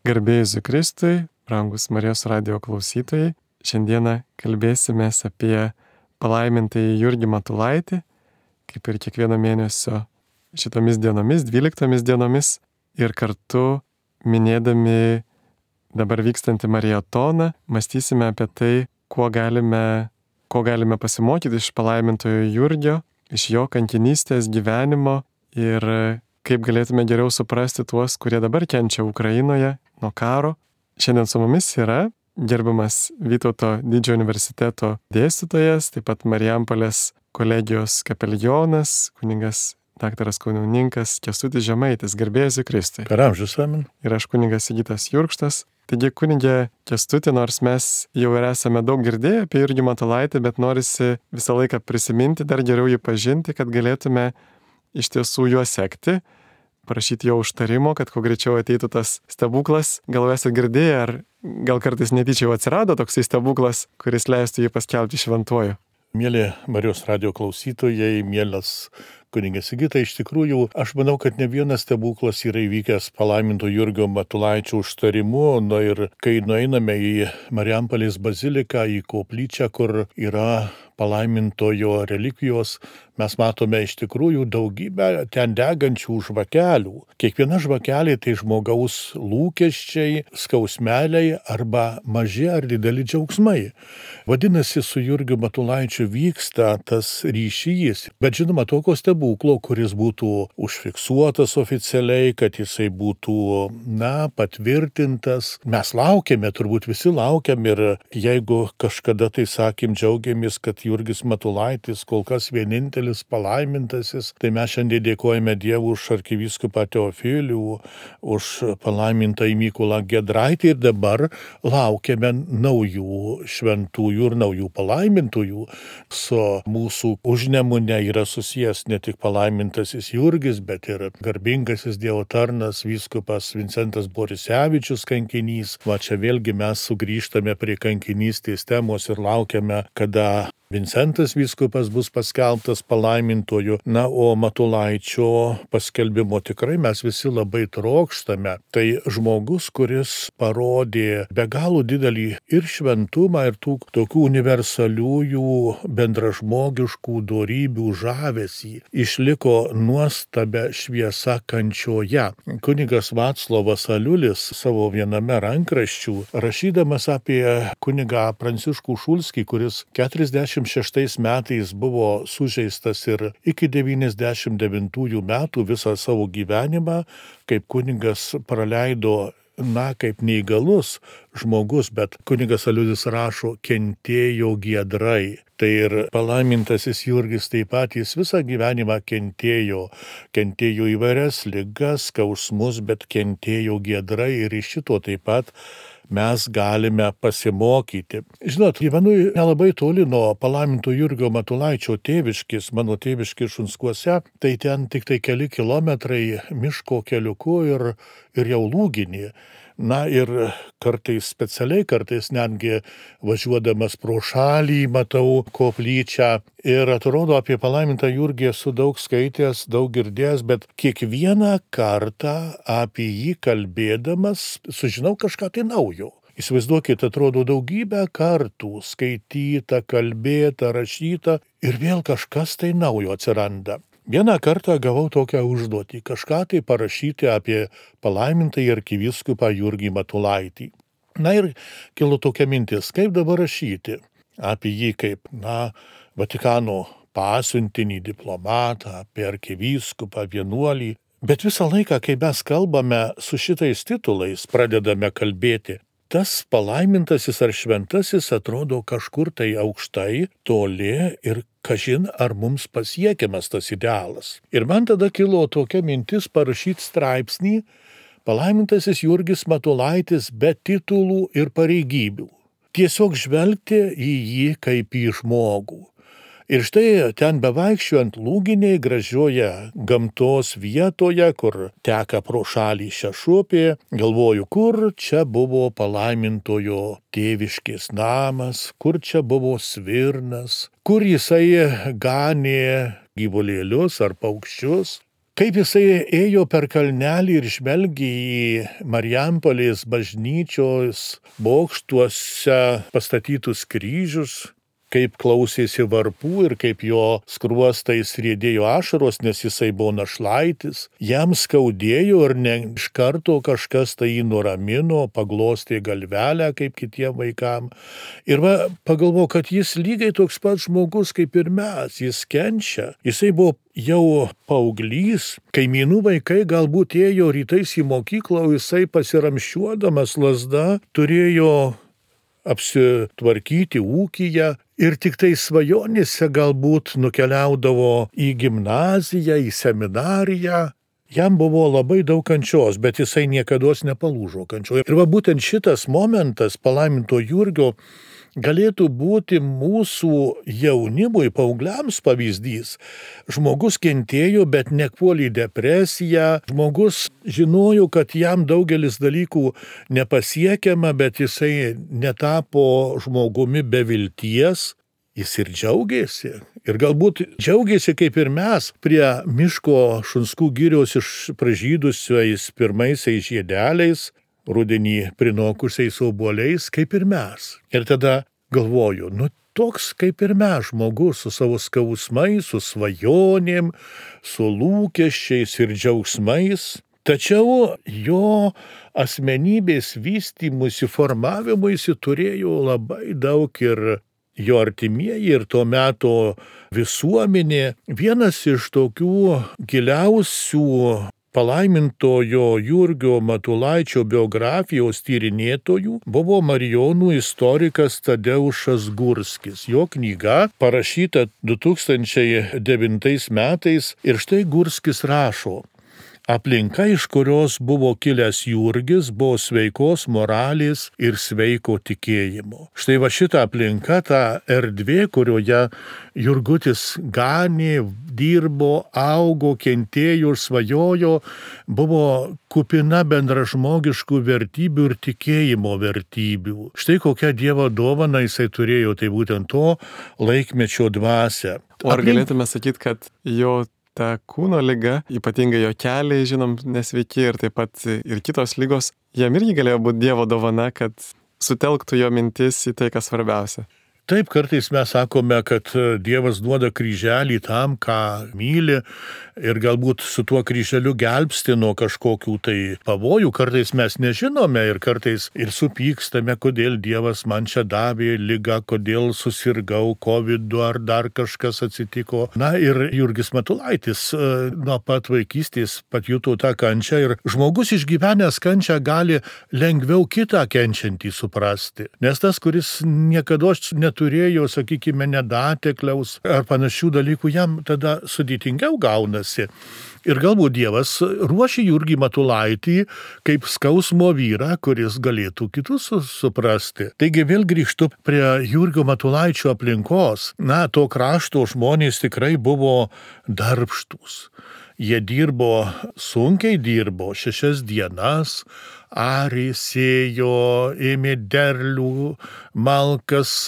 Garbė Jėzui Kristui, brangus Marijos radijo klausytojai. Šiandieną kalbėsime apie palaimintąjį Jurgį Matulaitį, kaip ir kiekvieno mėnesio šitomis dienomis, 12 dienomis, ir kartu minėdami dabar vykstantį marietoną, mąstysime apie tai, ko galime pasimokyti iš palaimintojo Jurgio, iš jo kankinystės gyvenimo ir kaip galėtume geriau suprasti tuos, kurie dabar kenčia Ukrainoje nuo karo. Šiandien su mumis yra gerbiamas Vytauto didžiojo universiteto dėstytojas, taip pat Marijampolės kolegijos kapelionas, kunigas daktaras kanauninkas Kęstutis Žemaitis. Garbė Jėzui Kristui. Per amžius amen. Ir aš kunigas Sigitas Jurkštas. Taigi kunigė Kęstuti, nors mes jau ir esame daug girdėję apie Jurgį Matulaitį, bet norisi visą laiką prisiminti, dar geriau jį pažinti, kad galėtume iš tiesų juo sekti, prašyti jo užtarimo, kad kuo greičiau ateitų tas stebuklas. Gal esate girdėję, ar gal kartais netyčia jau atsirado toksai stebuklas, kuris leistų jį paskelbti šventuoju? Mėly Marijos radijo klausytojai, mielas kunigas Sigita, iš tikrųjų, aš manau, kad ne vienas stebuklas yra įvykęs palaiminto Jurgio Matulaičio užtarimu. Ir kai nueiname į Marijampolės baziliką, į koplyčią, kur yra palaimintojo relikvijos, mes matome iš tikrųjų daugybę ten degančių žvakelių. Kiekviena žvakelė tai žmogaus lūkesčiai, skausmeliai arba maži ar dideli džiaugsmai. Vadinasi, su Jurgiu Matulaičiu vyksta tas ryšys, bet žinoma, tokio stebuklo, kuris būtų užfiksuotas oficialiai, kad jisai būtų, patvirtintas. Mes laukiame, turbūt visi laukiam, ir jeigu kažkada tai džiaugiamės, kad Jurgis Matulaitis kol kas vienintelis palaimintasis, tai mes šiandien dėkojame Dievui už arkivyskupą Teofilių, už palaimintąjį Mykolą Giedraitį, ir dabar laukiame naujų šventųjų ir naujų palaimintųjų. Su mūsų Užnemune yra susijęs ne tik palaimintasis Jurgis, bet ir garbingasis Dievo tarnas vyskupas Vincentas Borisevičius kankinys. Va čia vėlgi mes sugrįžtame prie kankinystės temos ir laukiame, kada Vincentas vyskupas bus paskelbtas palaimintoju. O Matulaičio paskelbimo tikrai mes visi labai trokštame. Tai žmogus, kuris parodė be galo didelį ir šventumą, ir tų tokių universaliųjų bendražmogiškų dorybių žavesį. Išliko nuostabia šviesa kančioje. Kunigas Vaclovas Aliulis savo viename rankraščių, rašydamas apie kunigą Pranciškų Šulskį, kuris 46 metais buvo sužeistas ir iki 99 metų visą savo gyvenimą kaip kunigas praleido, kaip neįgalus žmogus, bet kunigas Aliulis rašo, kentėjo giedrai. Tai ir palaimintasis Jurgis taip pat, jis visą gyvenimą kentėjo įvairias ligas, skausmus, bet kentėjo giedrai, ir iš šito taip pat mes galime pasimokyti. Žinot, gyvenu nelabai toli nuo palaiminto Jurgio Matulaičio tėviškės, mano tėviškės Šunskuose, tai ten tik tai keli kilometrai miško keliuku ir jau Lūginį. Ir kartais specialiai, kartais netgi važiuodamas pro šalį matau koplyčią ir atrodo, apie palaimintą Jurgį esu daug skaitęs, daug girdėjęs, bet kiekvieną kartą apie jį kalbėdamas sužinau kažką tai naujo. Įsivaizduokit, atrodo, daugybę kartų skaityta, kalbėta, rašyta ir vėl kažkas tai naujo atsiranda. Vieną kartą gavau tokią užduotį, kažką tai parašyti apie palaimintąjį arkivyskupą Jurgį Matulaitį. Ir kilo tokia mintis, kaip dabar rašyti apie jį kaip, Vatikano pasiuntinį, diplomatą, apie arkivyskupą, vienuolį. Bet visą laiką, kai mes kalbame su šitais titulais, pradedame kalbėti, tas palaimintasis ar šventasis atrodo kažkur tai aukštai, toli ir kažin ar mums pasiekiamas tas idealas. Ir man tada kilo tokia mintis parašyti straipsnį Palaimintasis Jurgis Matulaitis be titulų ir pareigybių. Tiesiog žvelgti į jį kaip į žmogų. Ir štai ten bevaikščiojant Lūginėj gražioje gamtos vietoje, kur teka pro šalį Šešupė, galvoju, kur čia buvo palaimintojo tėviškės namas, kur čia buvo svirnas, kur jisai ganė gyvulėlius ar paukščius. kaip jisai ėjo per kalnelį ir žvelgė į Marijampolės bažnyčios bokštuose pastatytus kryžius, kaip klausėsi varpų ir kaip jo skruostais riedėjo ašaros, nes jisai buvo našlaitis. Jam skaudėjo ir ne iš karto kažkas tai jį nuramino, paglostė galvelę kaip kitiem vaikam. Ir pagalvojo, kad jis lygiai toks pats žmogus kaip ir mes, jis kenčia. Jisai buvo jau paauglys, kaimynų vaikai galbūt ėjo rytais į mokyklą, o jisai pasiramščiuodamas lazda turėjo apsitvarkyti ūkyje ir tik tai svajonėse galbūt nukeliaudavo į gimnaziją, į seminariją. Jam buvo labai daug kančios, bet jisai niekados nepalūžo kančioje. Ir būtent šitas momentas palaiminto Jurgio galėtų būti mūsų jaunimui, paaugliams pavyzdys. Žmogus kentėjo, bet nepuolė į depresiją. Žmogus žinojo, kad jam daugelis dalykų nepasiekiama, bet jisai netapo žmogumi be vilties. Jis ir džiaugiasi. Ir galbūt džiaugiasi kaip ir mes prie miško Šunskų girios pražydusiais pirmaisiais žiedeliais, rudenį prinokusiais obuoliais, kaip ir mes. Ir tada galvoju, toks kaip ir mes žmogus su savo skausmais, su svajonėm, su lūkesčiais ir džiaugsmais. Tačiau jo asmenybės vystymuisi, formavimuisi turėjo labai daug ir jo artimieji, ir to meto visuomenė. Vienas iš tokių giliausių palaimintojo Jurgio Matulaičio biografijos tyrinėtojų buvo marijonų istorikas Tadeušas Gurskis. Jo knyga parašyta 2009 metais ir štai Gurskis rašo: aplinka, iš kurios buvo kilęs Jurgis, buvo sveikos moralės ir sveiko tikėjimo. Štai šita aplinka, ta erdvė, kurioje Jurgutis ganė, dirbo, augo, kentėjo ir svajojo, buvo kupina bendražmogiškų vertybių ir tikėjimo vertybių. Štai kokią Dievo dovaną jisai turėjo, tai būtent to laikmečio dvasią. O ar galėtume sakyti, kad jo ta kūno liga, ypatingai jo keliai, žinom, nesveiki ir taip pat ir kitos ligos, jam irgi galėjo būti Dievo dovana, kad sutelktų jo mintis į tai, kas svarbiausia? Taip, kartais mes sakome, kad Dievas duoda kryželį tam, ką myli, ir galbūt su tuo kryželiu gelbsti nuo kažkokių tai pavojų. Kartais mes nežinome ir kartais ir supykstame, kodėl Dievas man čia davė ligą, kodėl susirgau COVID-u ar dar kažkas atsitiko. Na ir Jurgis Matulaitis nuo pat vaikystės patjuto tą kančią ir žmogus išgyvenęs kančią gali lengviau kitą kenčiantį suprasti. Nes tas, kuris niekada neturėjo, sakykime, nedatekliaus ar panašių dalykų, jam tada sudėtingiau gaunasi. Ir galbūt Dievas ruošia Jurgį Matulaitį kaip skausmo vyrą, kuris galėtų kitus suprasti. Taigi vėl grįžtu prie Jurgio Matulaičio aplinkos. Na, to krašto žmonės tikrai buvo darbštūs. Jie sunkiai dirbo 6 dienas, arė, sėjo, ėmė derlių, malkas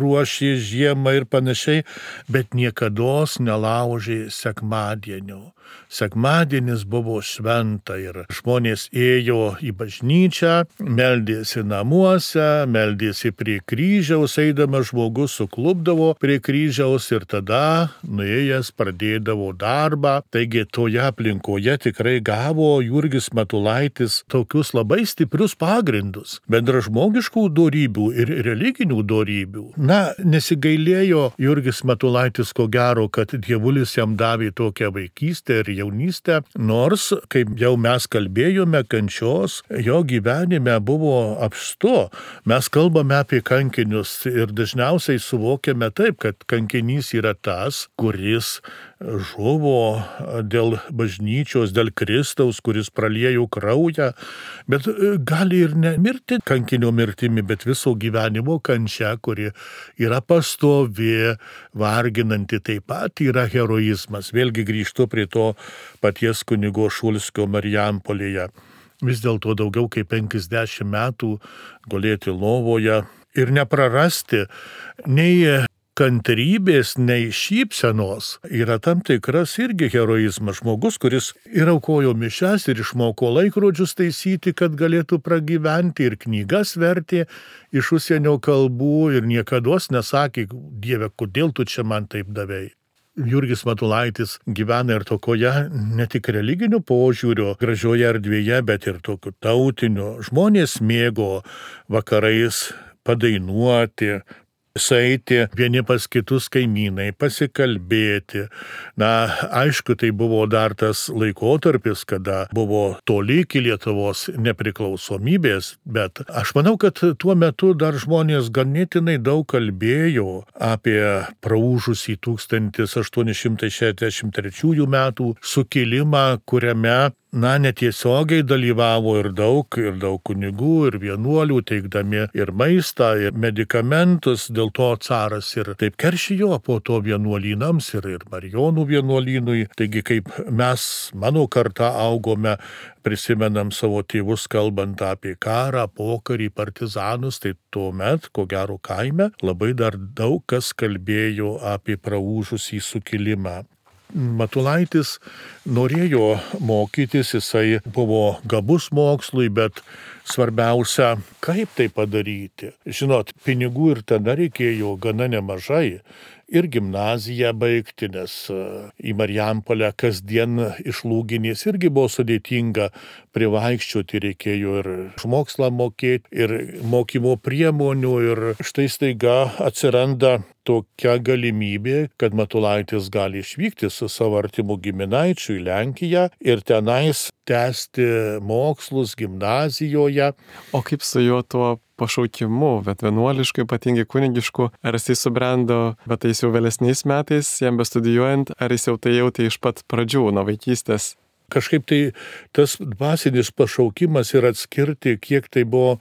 ruošė žiemą ir panašiai, bet niekados nelaužė sekmadienio. Sekmadienis buvo šventa ir žmonės ėjo į bažnyčią, meldėsi namuose, meldėsi prie kryžiaus, eidamas žmogus suklupdavo prie kryžiaus ir tada nuėjęs pradėdavo darbą. Taigi toje aplinkoje tikrai gavo Jurgis Matulaitis tokius labai stiprius pagrindus, bendražmogiškų dorybių ir religinių dorybių. Na, nesigailėjo Jurgis Matulaitis ko gero, kad Dievulis jam davė tokią vaikystę ir jaunystę, nors, kaip jau mes kalbėjome, kančios jo gyvenime buvo apstu. Mes kalbame apie kankinius ir dažniausiai suvokiame taip, kad kankinys yra tas, kuris žuvo dėl bažnyčios, dėl Kristaus, kuris praliejo kraują, bet gali ir nemirti kankinio mirtimi, bet viso gyvenimo kančia, kuri yra pastovi, varginanti, taip pat yra heroizmas. Vėlgi grįžtu prie to paties kunigo Šulskio Marijampolėje. Vis dėlto daugiau kaip 50 metų gulėti lovoje ir neprarasti nei kantrybės, nei šypsenos yra tam tikras irgi heroizmas. Žmogus, kuris ir aukojo mišias, ir išmoko laikrodžius taisyti, kad galėtų pragyventi, ir knygas vertė iš užsienio kalbų ir niekados nesakė, Dieve, kodėl tu čia man taip davei. Jurgis Matulaitis gyvena ir tokioje ne tik religinių požiūrio gražioje erdvėje, bet ir tokiu tautiniu. Žmonės mėgo vakarais padainuoti, sueiti vieni pas kitus kaimynai, pasikalbėti. Na, aišku, tai buvo dar tas laikotarpis, kada buvo toli iki Lietuvos nepriklausomybės, bet aš manau, kad tuo metu dar žmonės ganėtinai daug kalbėjo apie praūžusį 1863 metų sukilimą, kuriame netiesiogiai dalyvavo ir daug kunigų, ir vienuolių, teikdami ir maistą, ir medikamentus. Dėl to caras ir taip keršijo po to vienuolynams ir Marijonų vienuolynui. Taigi, kaip mes, mano karta, augome, prisimenam savo tėvus kalbant apie karą, pokarį, partizanus, tai tuomet, ko gero kaime, labai dar daug kas kalbėjo apie praūžusį sukilimą. Matulaitis norėjo mokytis, jisai buvo gabus mokslui, bet svarbiausia, kaip tai padaryti. Žinot, pinigų ir tada reikėjo gana nemažai. Ir gimnaziją baigti, nes į Marijampolę kasdien iš Lūginės irgi buvo sudėtinga privaikščioti, reikėjo ir mokslą mokėti, ir mokymo priemonių, ir štai staiga atsiranda tokia galimybė, kad Matulaitis gali išvykti su savo artimu giminaičiu į Lenkiją ir tenais tęsti mokslus gimnazijoje. O kaip su juo tuo pašaukimu, bet vienuolišku, ypatingai kunigišku, ar jisai subrendo, bet tai jau vėlesniais metais, jam bestudijuojant, ar jis jau tai jautė iš pat pradžių, nuo vaikystės? Kažkaip tai tas dvasinis pašaukimas ir atskirti, kiek tai buvo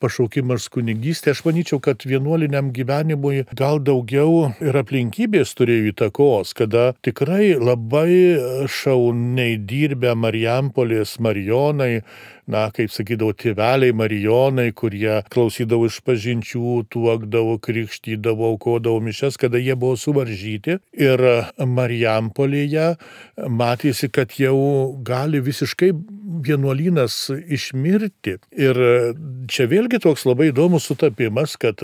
pašaukimas kunigystė, aš manyčiau, kad vienuoliniam gyvenimui gal daugiau ir aplinkybės turėjo įtakos, kada tikrai labai šauniai dirbę Marijampolės marijonai, kaip sakydavo, tėveliai marijonai, kurie klausydavo išpažinčių, tuokdavo, krikštydavo, aukodavo mišias, kada jie buvo suvaržyti. Ir Marijampolėje matėsi, kad jau gali visiškai vienuolynas išmirti. Ir čia vėlgi toks labai įdomus sutapimas, kad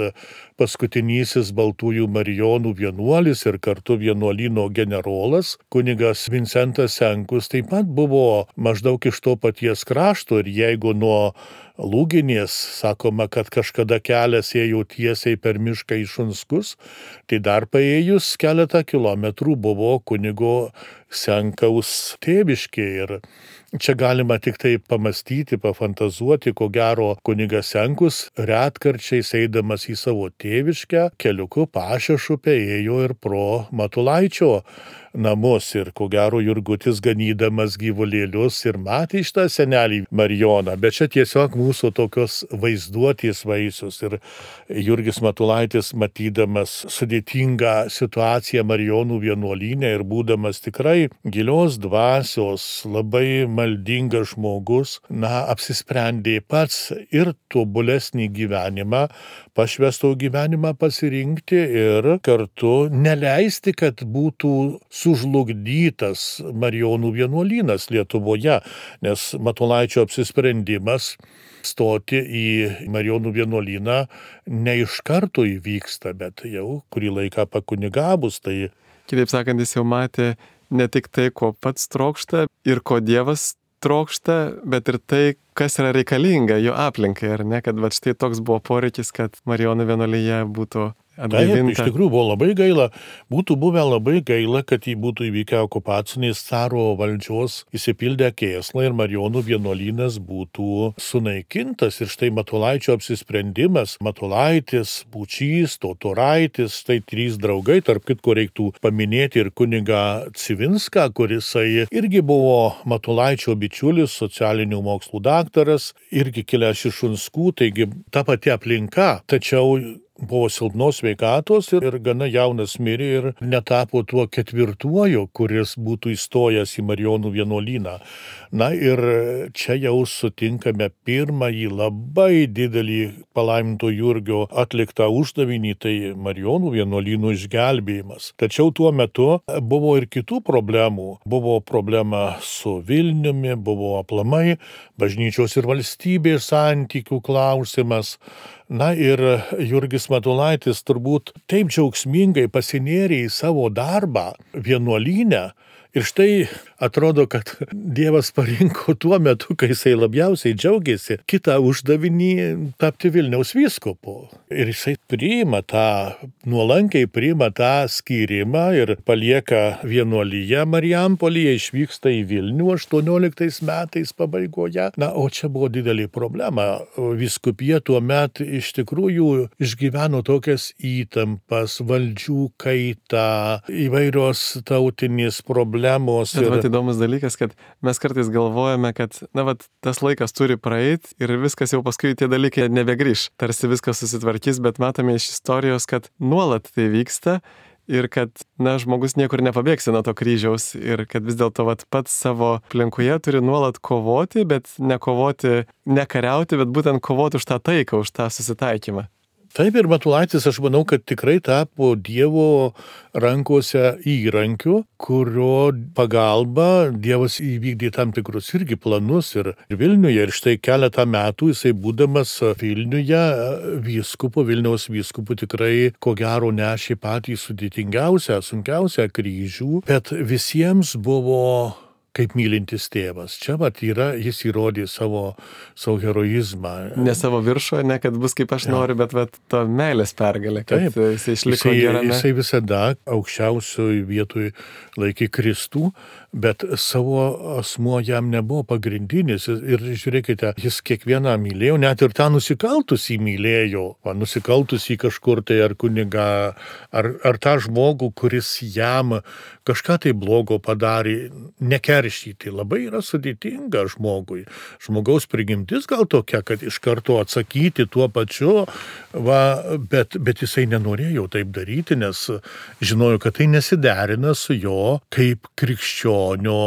paskutinysis Baltųjų marijonų vienuolis ir kartu vienuolyno generolas, kunigas Vincentas Senkus, taip pat buvo maždaug iš to paties krašto. Ir jeigu nuo Lūginės sakoma, kad kažkada kelias ėjo tiesiai per mišką į Šunskus, tai dar paėjus keletą kilometrų buvo kunigo Senkaus tėviškė. Ir čia galima tik tai pamastyti, pafantazuoti, ko gero kunigas Senkus retkarčiais eidamas į savo tėviškę keliuku Pašešupę ėjo ir pro Matulaičio namus, ir ko gero Jurgutis ganydamas gyvulėlius ir matė šitą senelį Marijoną, bet čia tiesiog mūsų tokios vaizduotės vaisius. Ir Jurgis Matulaitis, matydamas sudėtingą situaciją Marijonų vienuolyne ir būdamas tikrai gilios dvasios, labai maldingas žmogus, apsisprendė pats ir tobulesnį gyvenimą, pašvęsto gyvenimą pasirinkti ir kartu neleisti, kad būtų sužlugdytas Marijonų vienuolynas Lietuvoje, nes Matulaičio apsisprendimas stoti į Marijonų vienuolyną ne iš karto įvyksta, bet jau kurį laiką pakunigavus. Tai, kitaip sakant, jis jau matė ne tik tai, ko pats trokšta ir ko Dievas trokšta, bet ir tai, kas yra reikalinga jo aplinkai, ar ne, kad štai toks buvo poreikis, kad Marijonų vienuolyje būtų atgaivinta. Taip, iš tikrųjų buvo labai gaila, būtų buvę labai gaila, kad jį būtų įvykę okupaciniais caro valdžios įsipildę kėslai ir Marijonų vienuolynas būtų sunaikintas. Ir štai Matulaičio apsisprendimas, Matulaitis, Būčys, Totoraitis, tai 3 draugai, tarp kitko reiktų paminėti ir kunigą Civinską, kurisai irgi buvo Matulaičio bičiulis, socialinių mokslų daktaras, irgi kilęs iš Šunskų, taigi ta pati aplinka, tačiau buvo silpnos sveikatos ir gana jaunas mirė ir netapo tuo ketvirtuoju, kuris būtų įstojęs į Marijonų vienuolyną. Na ir čia jau sutinkame pirmąjį labai didelį palaiminto Jurgio atliktą uždavinį, tai Marijonų vienuolynų išgelbėjimas. Tačiau tuo metu buvo ir kitų problemų. Buvo problema su Vilniumi, buvo aplamai bažnyčios ir valstybės santykių klausimas. Na ir Jurgis Matulaitis turbūt taip džiaugsmingai pasinėrė į savo darbą vienuolyne. Ir štai atrodo, kad Dievas parinko tuo metu, kai jisai labiausiai džiaugiasi, kitą uždavinį tapti Vilniaus vyskupu. Ir jisai nuolankiai priima tą skyrimą ir palieka vienuolyje Marijampolėje, išvyksta į Vilnių 18 metais pabaigoje. Na, o čia buvo didelė problema. Vyskupija tuo metu iš tikrųjų išgyveno tokias įtampas, valdžių kaitą, įvairios tautinės problemos. Bet įdomus dalykas, kad mes kartais galvojame, kad tas laikas turi praeiti ir viskas jau paskui tie dalykai nebegrįš. Tarsi viskas susitvarkys, bet matome iš istorijos, kad nuolat tai vyksta ir kad žmogus niekur nepabėgsi nuo to kryžiaus ir kad vis dėlto pats savo aplinkoje turi nuolat kovoti, bet nekariauti, bet būtent kovoti už tą taiką, už tą susitaikymą. Taip ir Matulaitis, aš manau, kad tikrai tapo Dievo rankose įrankiu, kurio pagalba Dievas įvykdė tam tikrus irgi planus ir Vilniuje. Ir štai keletą metų jisai būdamas Vilniuje Vilniaus vyskupu tikrai ko gero nešė patį sudėtingiausią, sunkiausią kryžių, bet visiems buvo kaip mylintis tėvas. Čia jis įrodė savo heroizmą. Ne savo viršų, ne kad bus kaip aš noriu, bet to meilės pergalė, kad jisai išliko gerame. Jisai visada aukščiausioj vietoj laikė Kristų, bet savo asmuo jam nebuvo pagrindinis. Ir žiūrėkite, jis kiekvieną mylėjo, net ir tą nusikaltusį mylėjo. Nusikaltusį kažkur tai ar kunigą, ar tą žmogų, kuris jam kažką tai blogo padarė, nekeršyti. Labai yra sudėtinga žmogui. Žmogaus prigimtis gal tokia, kad iš karto atsakyti tuo pačiu, bet jisai nenorėjo taip daryti, nes žinojo, kad tai nesiderina su jo kaip krikščionio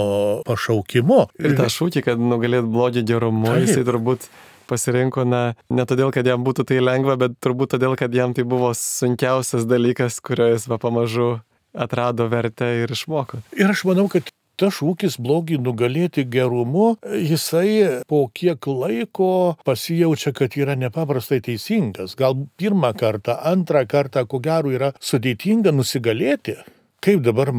pašaukimu. Ir tą šūkį, kad nugalėt blogį gerumu, jisai turbūt pasirinko ne todėl, kad jam būtų tai lengva, bet turbūt todėl, kad jam tai buvo sunkiausias dalykas, kurio jis pamažu atrado vertę ir išmoko. Ir aš manau, kad tas šūkis blogį nugalėti gerumu, jisai po kiek laiko pasijaučia, kad yra nepaprastai teisingas. Gal pirmą kartą, antrą kartą, ko gero, yra sudėtinga nusigalėti. Kaip dabar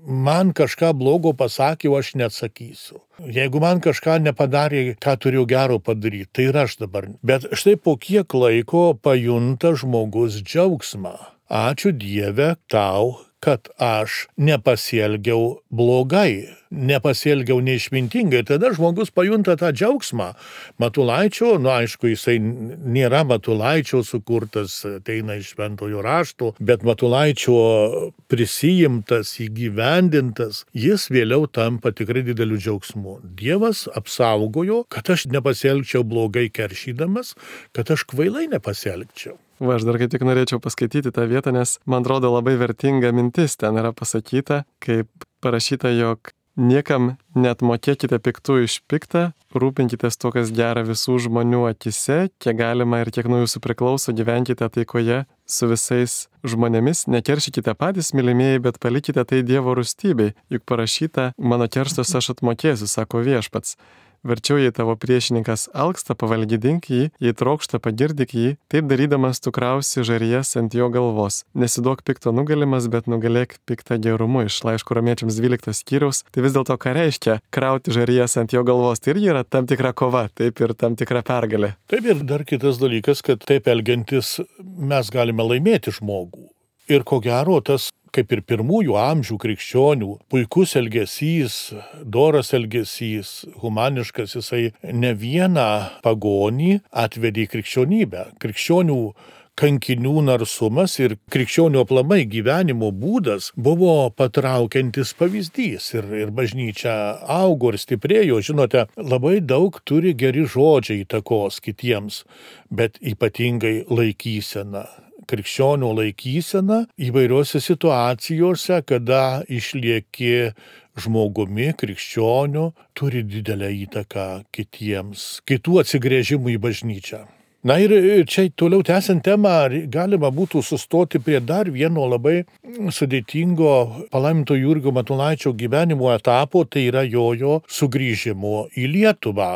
man kažką blogo pasakė, aš neatsakysiu. Jeigu man kažką nepadarė, ką turėjau gero padaryti, tai ir aš dabar. Bet štai po kiek laiko pajunta žmogus džiaugsmą. Ačiū Dieve tau, kad aš nepasielgiau blogai, nepasielgiau neišmintingai. Tada žmogus pajunta tą džiaugsmą. Matulaičio, aišku, jisai nėra Matulaičio sukurtas, ateina iš Šventojo rašto, bet Matulaičio prisijimtas, įgyvendintas, jis vėliau tampa tikrai dideliu džiaugsmu. Dievas apsaugojo, kad aš nepasielgčiau blogai keršydamas, kad aš kvailai nepasielgčiau. Aš dar kaip tik norėčiau paskaityti tą vietą, nes man atrodo labai vertinga mintis ten yra pasakyta, kaip parašyta, jog niekam net mokėkite piktų iš piktą, rūpinkitės to, kas gera visų žmonių akise, kiek galima ir kiek nuo jūsų priklauso, gyvenkite taikoje su visais žmonėmis, nekeršykite patys, mylimieji, bet palikite tai Dievo rūstybei, juk parašyta, mano kerstus aš atmokėsiu, sako viešpats. Verčiau, jei tavo priešininkas alksta, pavalgydink jį, jei trokšta, pagirdik jį, taip darydamas tu krausi žarijas ant jo galvos. Nesiduok pikto nugalimas, bet nugalėk piktą gerumu. Iš laiško Romiečiams 12 skyriaus. Tai vis dėlto ką reiškia krauti žarijas ant jo galvos? Tai irgi yra tam tikra kova, taip ir tam tikra pergalė. Taip ir dar kitas dalykas, kad taip elgiantis mes galime laimėti žmogų. Ir ko gero tas, kaip ir pirmųjų amžių krikščionių, puikus elgesys, doras elgesys, humaniškas, jisai ne vieną pagonį atvedė į krikščionybę. Krikščionių kankinių narsumas ir krikščionių aplamai gyvenimo būdas buvo patraukiantis pavyzdys. Ir bažnyčia augo ir stiprėjo. Žinote, labai daug turi geri žodžiai įtakos kitiems, bet ypatingai laikysena. krikščionio laikysena įvairiose situacijose, kada išlieki žmogumi, krikščioniu, turi didelę įtaką kitiems, kitų atsigręžimų į bažnyčią. Na ir čia toliau tęsiant temą, galima būtų sustoti prie dar vieno labai sudėtingo palaiminto Jurgio Matulaičio gyvenimo etapo, tai yra jo sugrįžimo į Lietuvą.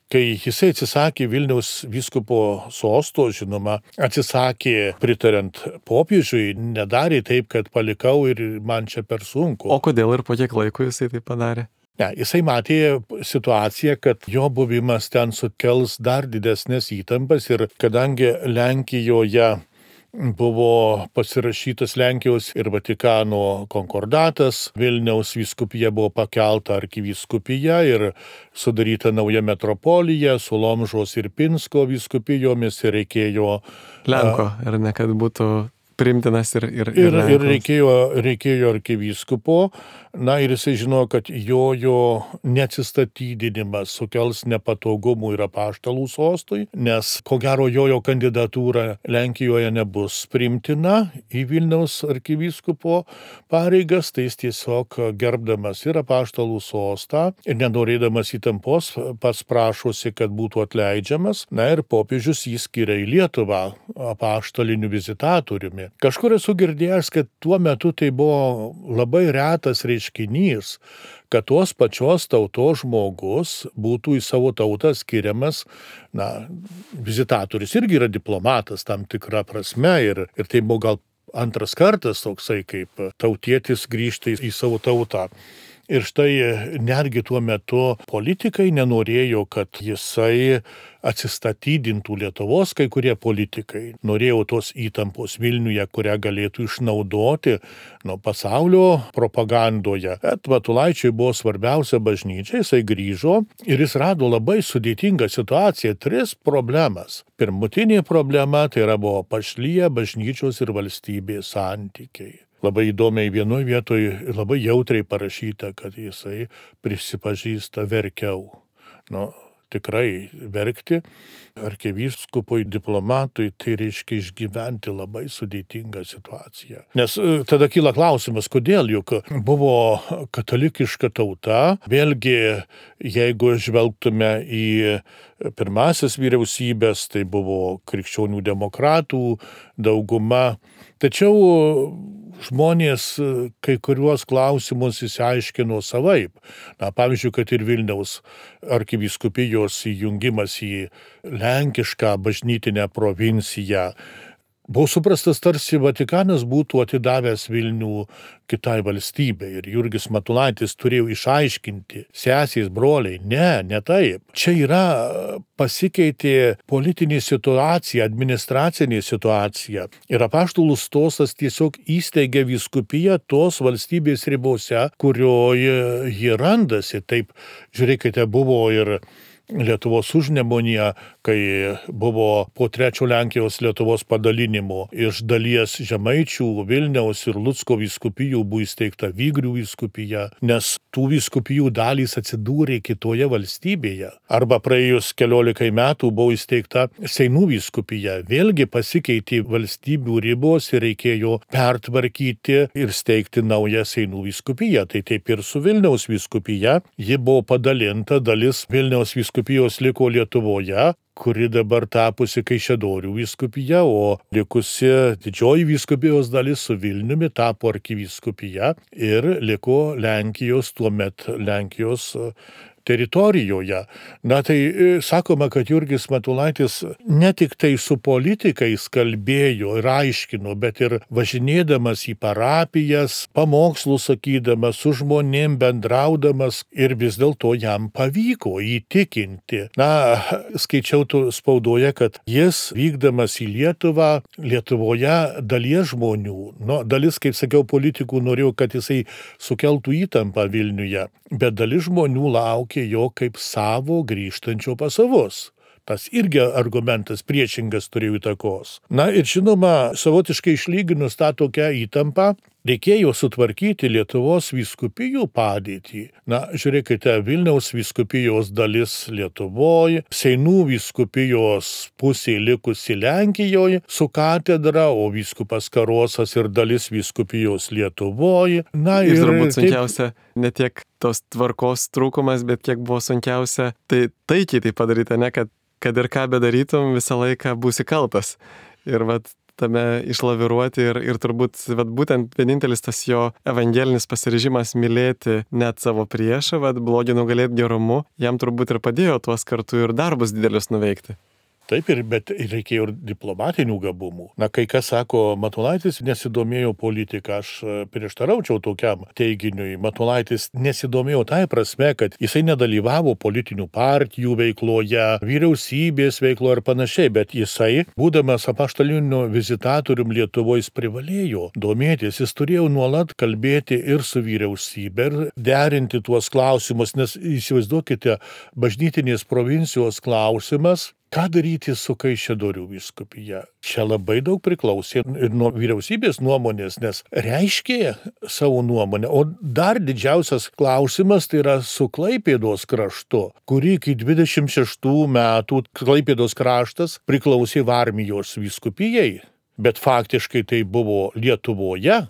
Kai jisai atsisakė Vilniaus vyskupo sosto, žinoma, atsisakė pritariant popiežiui, nedarė taip, kad palikau ir man čia per sunku. O kodėl ir po kiek laiko jisai tai padarė? Ne, jisai matė situaciją, kad jo buvimas ten sukels dar didesnės įtampas ir kadangi Lenkijoje buvo pasirašytas Lenkijos ir Vatikano konkordatas, Vilniaus vyskupija buvo pakelta arkivyskupija ir sudaryta nauja metropolija su Lomžos ir Pinsko vyskupijomis ir reikėjo Lenko, ar ne, kad būtų priimtinas ir reikėjo arkivyskupo. Na ir jisai žinojo, kad jo neatsistatydinimas sukels nepatogumų ir apaštalų sostui, nes ko gero jo kandidatūra Lenkijoje nebus priimtina į Vilniaus arkivyskupo pareigas, tai jis tiesiog gerbdamas ir apaštalų sostą ir nenorėdamas įtampos pats prašosi, kad būtų atleidžiamas. Na ir popiežius jį skiria į Lietuvą apaštaliniu vizitatoriumi. Kažkur esu girdėjęs, kad tuo metu tai buvo labai retas reiškinys, kad tos pačios tautos žmogus būtų į savo tautą skiriamas, vizitatorius irgi yra diplomatas tam tikra prasme ir tai buvo gal antras kartas toksai, kaip tautietis grįžta į savo tautą. Ir štai netgi tuo metu politikai nenorėjo, kad jisai atsistatydintų Lietuvos, kai kurie politikai. Norėjo tos įtampos Vilniuje, kurią galėtų išnaudoti pasaulio propagandoje. Bet Matulaičiui buvo svarbiausia bažnyčia, jisai grįžo ir jis rado labai sudėtingą situaciją, 3 problemas. Pirmutinė problema tai buvo pašlyje bažnyčios ir valstybės santykiai. Labai įdomiai vienoje vietoje labai jautriai parašyta, kad jisai prisipažįsta verkiau. Tikrai verkti arkivyskupui, diplomatui, tai reiškia išgyventi labai sudėtingą situaciją. Nes tada kyla klausimas, kodėl, juk buvo katalikiška tauta, vėlgi, jeigu žvelgtume į pirmasis vyriausybės, tai buvo krikščionių demokratų dauguma, tačiau žmonės kai kuriuos klausimus išsiaiškino savaip. Pavyzdžiui, kad ir Vilniaus arkivyskupijos įjungimas į lenkišką bažnytinę provinciją buvo suprastas, tarsi Vatikanas būtų atidavęs Vilnių kitai valstybei. Ir Jurgis Matulaitis turėjo išaiškinti, sesės, broliai, ne taip. Čia pasikeitė politinė situacija, administracinė situacija. Ir apaštalų stosas tiesiog įsteigė vyskupiją tos valstybės ribose, kurioje ji randasi. Taip, žiūrėkite, buvo ir Lietuvos užnemunėje, kai buvo po 3 Lenkijos Lietuvos padalinimo iš dalies Žemaičių, Vilniaus ir Lucko vyskupijų buvo įsteigta Vygrių vyskupija, nes tų vyskupijų dalys atsidūrė kitoje valstybėje. Arba praėjus 14 metų buvo įsteigta Seinų vyskupija. Vėlgi pasikeitė valstybių ribos ir reikėjo pertvarkyti ir steigti naują Seinų vyskupiją. Tai taip ir su Vilniaus vyskupija. Ji buvo padalinta, dalis Vilniaus vyskupijos liko Lietuvoje, kuri dabar tapusi Kaišiadorių vyskupija, o likusi didžioji vyskupijos dalis su Vilniumi tapo arkivyskupija ir liko Lenkijos, tuomet Lenkijos teritorijoje. Tai sakoma, kad Jurgis Matulaitis ne tik tai su politikais kalbėjo ir aiškino, bet ir važinėdamas į parapijas, pamokslus sakydamas, su žmonėm bendraudamas ir vis dėlto jam pavyko įtikinti. Skaičiau spaudoje, kad jis vykdamas į Lietuvą, Lietuvoje dalies žmonių, dalis, kaip sakiau, politikų norėjo, kad jisai sukeltų įtampą Vilniuje, bet dalis žmonių laukė jo kaip savo grįžtančio pas savus. Tas irgi argumentas priešingas turėjo įtakos. Na ir žinoma, savotiškai išlyginus tą tokią įtampą, reikėjo sutvarkyti Lietuvos vyskupijų padėtį. Na, žiūrėkite, Vilniaus vyskupijos dalis Lietuvoje, Seinų vyskupijos pusė likusi Lenkijoje su katedra, o vyskupas Karosas ir dalis vyskupijos Lietuvoje. Na, ir turbūt sunkiausia ne tiek tos tvarkos trūkumas, bet kiek buvo sunkiausia, tai taikiai tai padaryti, ne, kad ir ką bedarytum, visą laiką būsi kaltas. Ir tame išlaviruoti ir turbūt būtent vienintelis tas jo evangelinis pasiryžimas mylėti net savo priešą, blogį nugalėti gerumu, jam turbūt ir padėjo tuos kartu ir darbus didelius nuveikti. Taip, bet reikėjo ir diplomatinių gabumų. Na, kai kas sako, Matulaitis nesidomėjo politika, aš prieštaraučiau tokiam teiginiui. Matulaitis nesidomėjo tai prasme, kad jisai nedalyvavo politinių partijų veikloje, vyriausybės veikloje ir panašiai, bet jisai, būdamas apaštaliniu vizitatorium Lietuvoje, privalėjo domėtis, jis turėjo nuolat kalbėti ir su vyriausybė ir derinti tuos klausimus, nes įsivaizduokite, bažnytinės provincijos klausimas, ką daryti su Kaišiadorių vyskupija? Čia labai daug priklausė ir nuo vyriausybės nuomonės, nes reiškė savo nuomonę. O dar didžiausias klausimas tai yra su Klaipėdos kraštu, kurį iki 26 metų Klaipėdos kraštas priklausė Varmijos vyskupijai, bet faktiškai tai buvo Lietuvoje.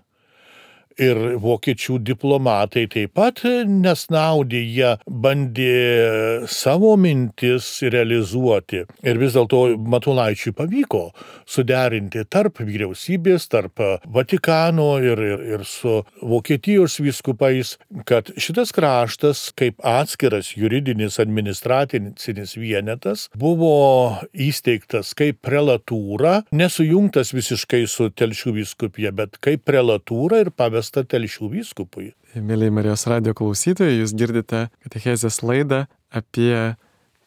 Ir vokiečių diplomatai taip pat nesnaudė, jie bandė savo mintis realizuoti. Ir vis dėlto Matulaičiui pavyko suderinti tarp vyriausybės, tarp Vatikano ir su Vokietijos vyskupais, kad šitas kraštas kaip atskiras juridinis administracinis vienetas buvo įsteigtas kaip prelatūra, nesujungtas visiškai su Telšių vyskupija, bet kaip prelatūra ir pavesta Telšių vyskupui. Mėly Marijos radijo klausytojai, jūs girdite katechezės laidą apie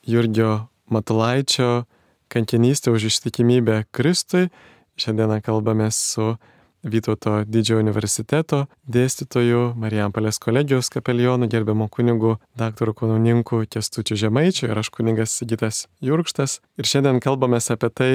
Jurgio Matulaičio kankinystę už ištikimybę Kristui. Šiandieną kalbame su Vytauto didžiojo universiteto dėstytoju, Marijampolės kolegijos kapelionu, gerbiamu kunigu daktaru kanaunininku Kęstučiu Žemaičiu ir aš kunigas Sigitas Jurkštas. Ir šiandien kalbame apie tai,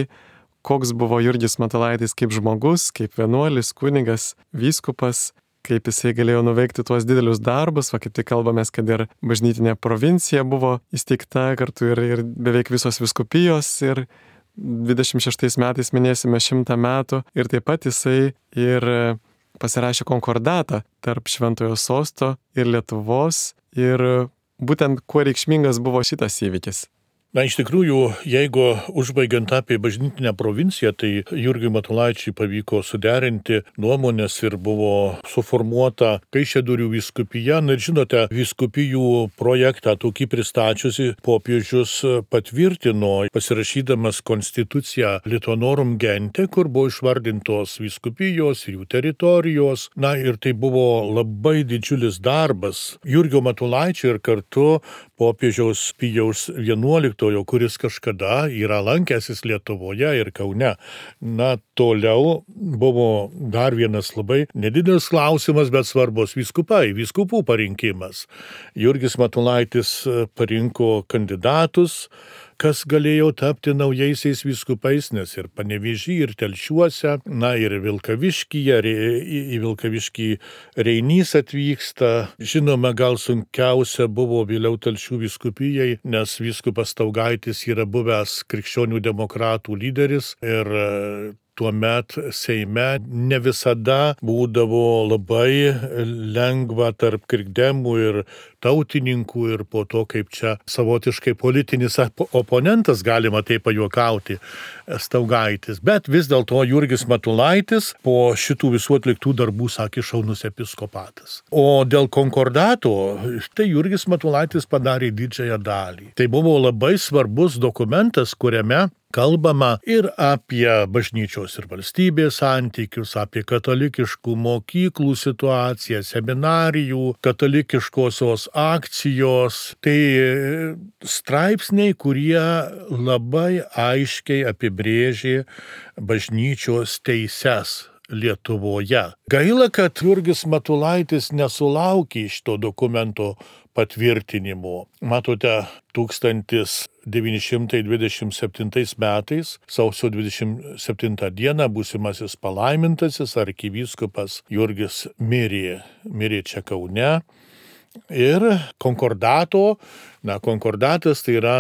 koks buvo Jurgis Matulaitis kaip žmogus, kaip vienuolis, kunigas, vyskupas, kaip jisai galėjo nuveikti tuos didelius darbus. Kaip tik kalbamės, kad ir bažnytinė provincija buvo įsteigta kartu ir beveik visos vyskupijos ir 26 metais minėsime 100 metų. Ir taip pat jisai ir pasirašė konkordatą tarp Šventojo Sosto ir Lietuvos. Ir būtent kuo reikšmingas buvo šitas įvykis. Na, iš tikrųjų, jeigu užbaigiant apie bažnytinę provinciją, tai Jurgiui Matulaičiui pavyko suderinti nuomonės ir buvo suformuota Kaišiadorių vyskupija. Na ir žinote, vyskupijų projektą tokį pristačiusi popiežius patvirtino, pasirašydamas konstituciją Lituanorum Gente, kur buvo išvardintos vyskupijos ir jų teritorijos. Na ir tai buvo labai didžiulis darbas Jurgio Matulaičio ir kartu popiežiaus Pijaus XI, kuris kažkada yra lankęsis Lietuvoje ir Kaune. Na, toliau buvo dar vienas labai nedidelis klausimas, bet svarbus vyskupų parinkimas. Jurgis Matulaitis parinko kandidatus, kas galėjo tapti naujaisiais vyskupais, nes ir Panevėžy, ir Telšiuose, na ir Vilkaviškyje, į Vilkaviškį Reinys atvyksta. Žinoma, gal sunkiausia buvo vėliau Telšių vyskupijai, nes vyskupas Staugaitis yra buvęs krikščionių demokratų lyderis ir tuomet Seime ne visada būdavo labai lengva tarp krikdemų ir tautininkų ir po to, kaip čia savotiškai politinis oponentas, galima taip pajuokauti, Staugaitis. Bet vis dėlto Jurgis Matulaitis po šitų visų atliktų darbų sakė šaunus episkopatas. O dėl konkordato, tai Jurgis Matulaitis padarė didžiąją dalį. Tai buvo labai svarbus dokumentas, kuriame kalbama ir apie bažnyčios ir valstybės santykius, apie katalikiškų mokyklų situaciją, seminarijų, katalikiškosios akcijos. Tai straipsniai, kurie labai aiškiai apibrėžė bažnyčios teises Lietuvoje. Gaila, kad Jurgis Matulaitis nesulaukė šito dokumento patvirtinimu. Matote, 1927 metais, sausio 27 dieną, būsimasis palaimintasis arkivyskupas Jurgis mirė čia Kaune. Ir konkordatas tai yra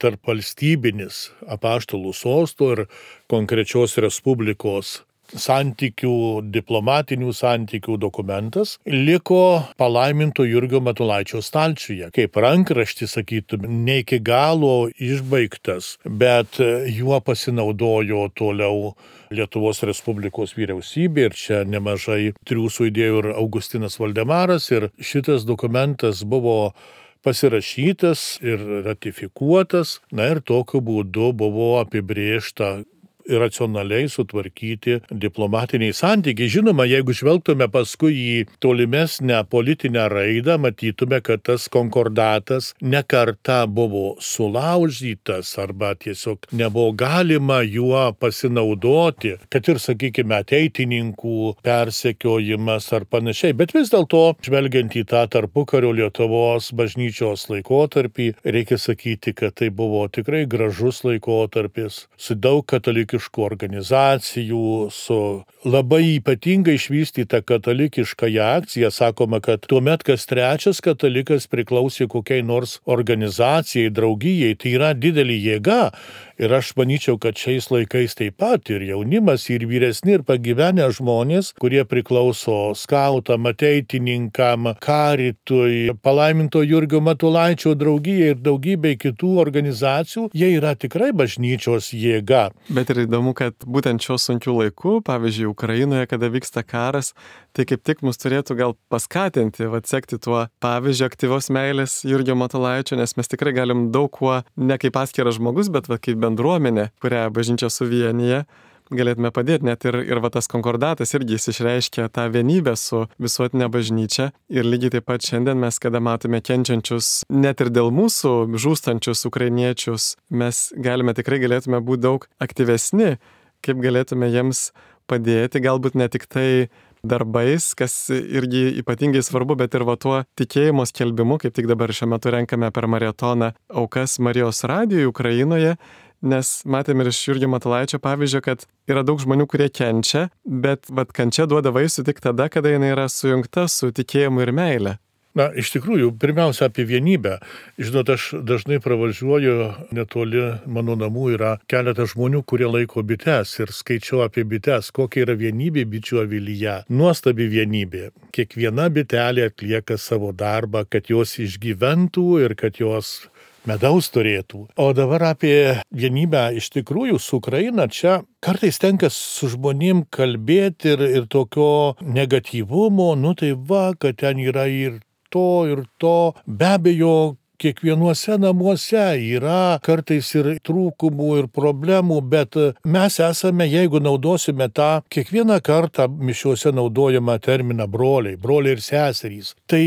tarp valstybinis apaštalų sosto ir konkrečios respublikos diplomatinių santykių dokumentas liko palaiminto Jurgio Matulaičio stalčiuje. Kaip rankraštis, sakytume, ne iki galo išbaigtas, bet juo pasinaudojo toliau Lietuvos Respublikos vyriausybė ir čia nemažai triūsų įdėjo ir Augustinas Valdemaras ir šitas dokumentas buvo pasirašytas ir ratifikuotas, ir tokiu būdu buvo apibrėžta racionaliai sutvarkyti diplomatiniai santykiai. Žinoma, jeigu žvelgtume paskui į tolimesnę politinę raidą, matytume, kad tas konkordatas ne kartą buvo sulaužytas arba tiesiog nebuvo galima juo pasinaudoti, kad ir, sakykime, ateitininkų persekiojimas ar panašiai. Bet vis dėlto, žvelgiant į tą tarpukario Lietuvos bažnyčios laikotarpį, reikia sakyti, kad tai buvo tikrai gražus laikotarpis su daug katalikiškų organizacijų, su labai ypatingai išvystyta katalikiškąją akciją. Sakoma, kad tuomet kas trečias katalikas priklausė kokiai nors organizacijai, draugijai. Tai yra didelė jėga. Ir aš manyčiau, kad šiais laikais taip pat ir jaunimas, ir vyresni, ir pagyvenę žmonės, kurie priklauso skautam, ateitininkam, karitui, palaiminto Jurgio Matulaičio draugijai ir daugybei kitų organizacijų, jie yra tikrai bažnyčios jėga. Bet ir įdomu, kad būtent šios sunkių laikų, pavyzdžiui, Ukrainoje, kada vyksta karas, tai kaip tik mus turėtų gal paskatinti, sekti tuo pavyzdžiu aktyvios meilės Jurgio Matulaičio, nes mes tikrai galim daug kuo, ne kaip atskiras žmogus, bet kaip bendruomenė, kurią bažnyčia suvienyje, galėtume padėti. Net ir tas konkordatas irgi išreiškia tą vienybę su visuotinė bažnyčia. Ir lygiai taip pat šiandien mes, kada matome kenčiančius, net ir dėl mūsų žūstančius ukrainiečius, mes galėtume būti daug aktyvesni, kaip galėtume jiems padėti, galbūt ne tik tai darbais, kas irgi ypatingai svarbu, bet ir tuo tikėjimo skelbimu, kaip tik dabar šiuo metu renkame per maratoną aukas Marijos radijui Ukrainoje, nes matėme ir iš Jurgio Matulaičio pavyzdžio, kad yra daug žmonių, kurie kenčia, bet kančia duoda vaisių tik tada, kada jinai yra sujungta su tikėjimu ir meile. Na, iš tikrųjų, pirmiausia apie vienybę. Žinot, aš dažnai pravažiuoju, netoli mano namų yra keletas žmonių, kurie laiko bites ir skaičiau apie bites, kokia yra vienybė bičių avilyje. Nuostabi vienybė. Kiekviena bitelė atlieka savo darbą, kad jos išgyventų ir kad jos medaus turėtų. O dabar apie vienybę iš tikrųjų su Ukraina čia kartais tenka su žmonėm kalbėti ir tokio negatyvumo, kad ten yra ir to. Be abejo, kiekvienuose namuose yra kartais ir trūkumų ir problemų, bet mes esame, jeigu naudosime tą kiekvieną kartą mišiuose naudojamą terminą broliai ir seserys, tai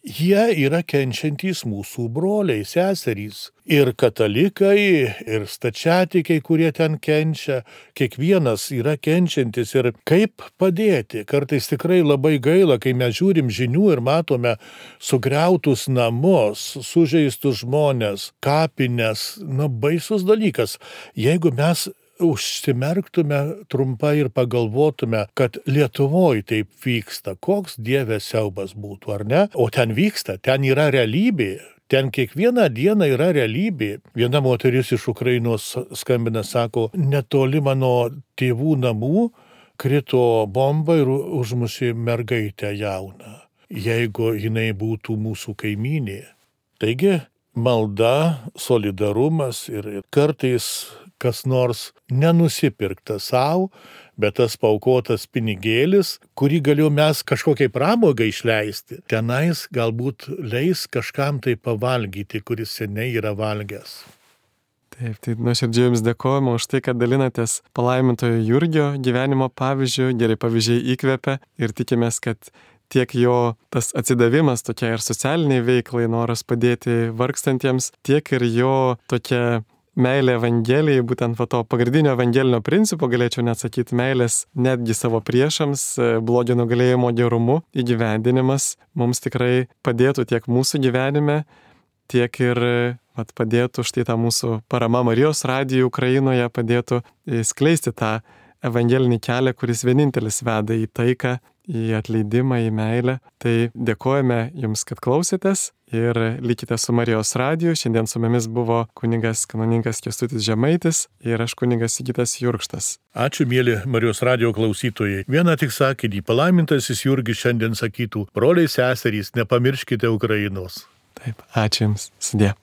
jie yra kenčiantys mūsų broliai, seserys. Ir katalikai, ir stačiatikiai, kurie ten kenčia, kiekvienas yra kenčiantis ir kaip padėti. Kartais tikrai labai gaila, kai mes žiūrim žinių ir matome sugriautus namus, sužeistus žmonės, kapines, baisus dalykas. Jeigu mes užsimerktume trumpai ir pagalvotume, kad Lietuvoje taip vyksta, koks Dieve siaubas būtų, ar ne? O ten vyksta, ten yra realybė. Ten kiekvieną dieną yra realybė. Viena moteris iš Ukrainos skambina, sako, netoli mano tėvų namų krito bomba ir užmušė mergaitę jauną, jeigu jinai būtų mūsų kaimynė. Taigi, malda, solidarumas ir kartais kas nors nenusipirkta savo, bet tas paukotas pinigėlis, kurį galėjome mes kažkokiai pramogai išleisti, tenais galbūt leis kažkam tai pavalgyti, kuris seniai yra valgęs. Taip, tai nuoširdžiai jums dėkojame už tai, kad dalinatės palaimintojo Jurgio gyvenimo pavyzdžiu, geri pavyzdžiai įkvepia ir tikimės, kad tiek jo tas atsidavimas tokia ir socialiniai veiklai, noras padėti vargstantiems, tiek ir jo tokia meilė Evangelijai, būtent to pagrindinio evangelinio principo, galėčiau net sakyti, meilės netgi savo priešams, blogio nugalėjimo gerumu įgyvendinimas mums tikrai padėtų tiek mūsų gyvenime, tiek ir padėtų štai tą mūsų parama Marijos radijui Ukrainoje, padėtų skleisti tą evangelinį kelią, kuris vienintelis veda į taiką, į atleidimą, į meilę. Tai dėkojame Jums, kad klausėtės ir likite su Marijos radiju. Šiandien su mumis buvo kunigas kanauninkas Kęstutis Žemaitis ir aš kunigas Sigitas Jurkštas. Ačiū, mėly Marijos radijo klausytojai. Vieną tik sakinį, palaimintasis Jurgis šiandien sakytų: broliai seserys, nepamirškite Ukrainos. Taip, ačiū Jums. Sudie.